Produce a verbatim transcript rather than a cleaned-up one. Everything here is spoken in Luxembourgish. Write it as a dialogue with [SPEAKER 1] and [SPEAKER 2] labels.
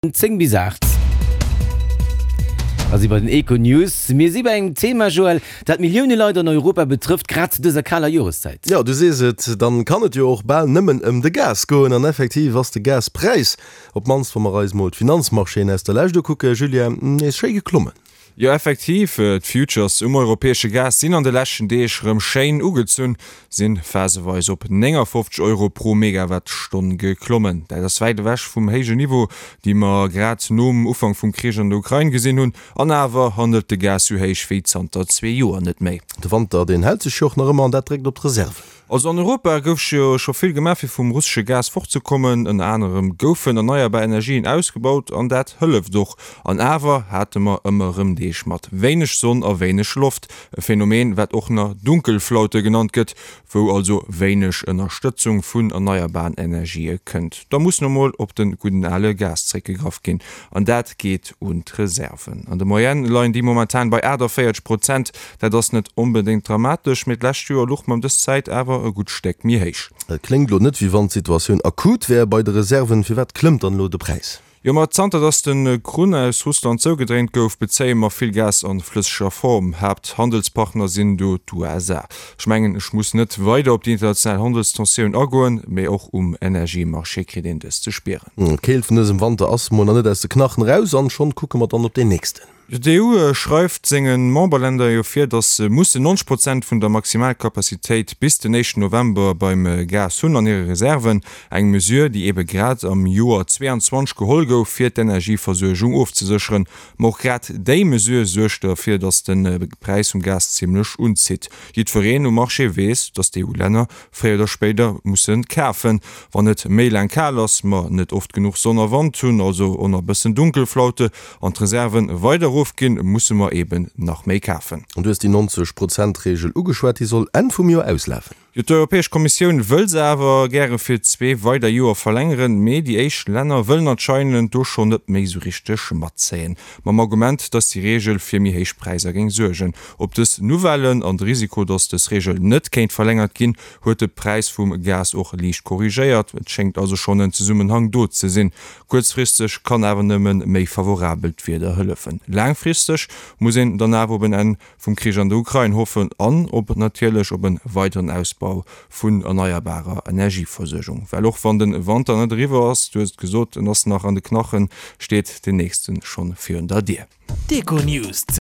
[SPEAKER 1] Zéng bis aacht a si bei den Econews. Mir si bei engem Thema, Joël, dat Millioune Leit an Europa betrëfft, grad zu dëser kaler Joreszäit.
[SPEAKER 2] Jo, du sees et, dann kann et jo och bal nëmmen ëm de Gas goen. An effektiv ass de Gaspräis, op d'mannst wa mer eis mol d'Finanzmarchéen aus der Lescht ukucken, Julien, nees schéi geklommen.
[SPEAKER 3] Jo, effektiv, d'Futures um europäesche Gas sinn an de leschten Deeg rëm schéin ugezunn, sinn phaseweis op néngafofzeg Euro pro Megawattstonn geklommen. Dat ass wäit ewech vum héijen Niveau, déi mer grad nom Ufank vum Krich an der Ukrain gesinn hunn. An awer handelt de Gas sou héich wéi zanter zwee Joer net méi.
[SPEAKER 2] De Wanter, deen hält sech jo och nach ëmmer an dat dréckt op d'Reserven.
[SPEAKER 3] Also an Europa gouf jo scho vill gemaach fir vum russesche Gas fortzekommen. Ënner anerem goufen erneierbar Energien ausgebaut an dat hëlleft och. An awer hate mer ëmmer erëm Deeg mat wéineg Sonn a wéineg Loft, e Phänomen wat och nach Dunkelflaute genannt gëtt, wou also wéineg Ënnerstëtzung vun erneierbaren Energië kënnt. Da muss nu mol op de gudden ale Gas zréckgegraff ginn an dat geet un d'Reserven. An der Moyenne leien déi momentan bei aachtavéierzeg Prozent. Dat ass net onbedéngt dramatesch, mee d'lescht Joer louch mer ëm dës Zäit awer e gutt Stéck méi héich.
[SPEAKER 2] Et kléngt elo net, wéi wann d'Situatioun akut wär bei de Reserven. Firwat klëmmt dann elo de Präis?
[SPEAKER 3] Jo, ma zanter dass de Krunn aus Russland zougedréint gouf, bezéie mer vill Gas a flësseger Form. Haapthandelspartner sinn do d'USA. Ech mengen, ech muss net weider op déi international Handelstensioun agoen, mee och um Energiemarché kritt een dës ze spieren.
[SPEAKER 2] D'Keelt vun dësem Wanter ass mol nach net aus de Knachen eraus an schonn kucke mer dann op deen nächsten.
[SPEAKER 3] D'EU schreift senge Memberlänner jo vir, datt se mussen neunzeg Prozent vun der Maximalcapacitéit bis den éischten November beim Gas hunn an hire Reserven. Eng Mesure, déi eebe grad am Joer zweeanzwanzeg geholl gouf, fir d'Energieversuergung ofzesécheren. Ma och grad déi Mesure suergt derfir, datt de Präis vum Gas zimmlech unzitt. Jiddwereen um Marché weess, datt d'EU-Länner fréier oder spéider musse kafen, wann et méi laang kal ass, mer net oft genuch Sonn a Wand hunn, also och nach e bëssen Dunkelflaute, an d'Reserven weider erofginn, musse mer eben nach méi kafen.
[SPEAKER 2] An du hues déi neunzeg Prozent Reegel ugeschwat, déi soll Enn vum Joer auslafen.
[SPEAKER 3] Jo, d'Europäesch Kommissioun wëll se awer gäre fir zwee weider Joer verlängeren, mee déi éischt Länner wëllen anscheinend do schonn net méi sou richteg matzéien, mam Argument, datt déi Reegel fir méi héich Präisser géing suergen. Op dës Nouvellen an de Risiko, datt dës Reegel net kéint verlängert ginn, huet de Präis vum Gas och liicht korrigéiert. Et schéngt also schonn en Zesummenhang do ze sinn. Kuerzfristeg kann awer nëmme méi favorabelt Wieder hëllefen. Laangfristeg muss een dann awer op en Enn vum Krich an der Ukrain hoffen an op natierlech op e weideren Ausbau vun erneierbarer Energieversuergung. Well och wann de Wanter net eriwwer ass, du hues et gesot, en ass nach an de Knachen, steet deen nächste schonn virun der Dier.
[SPEAKER 4] D'Econews.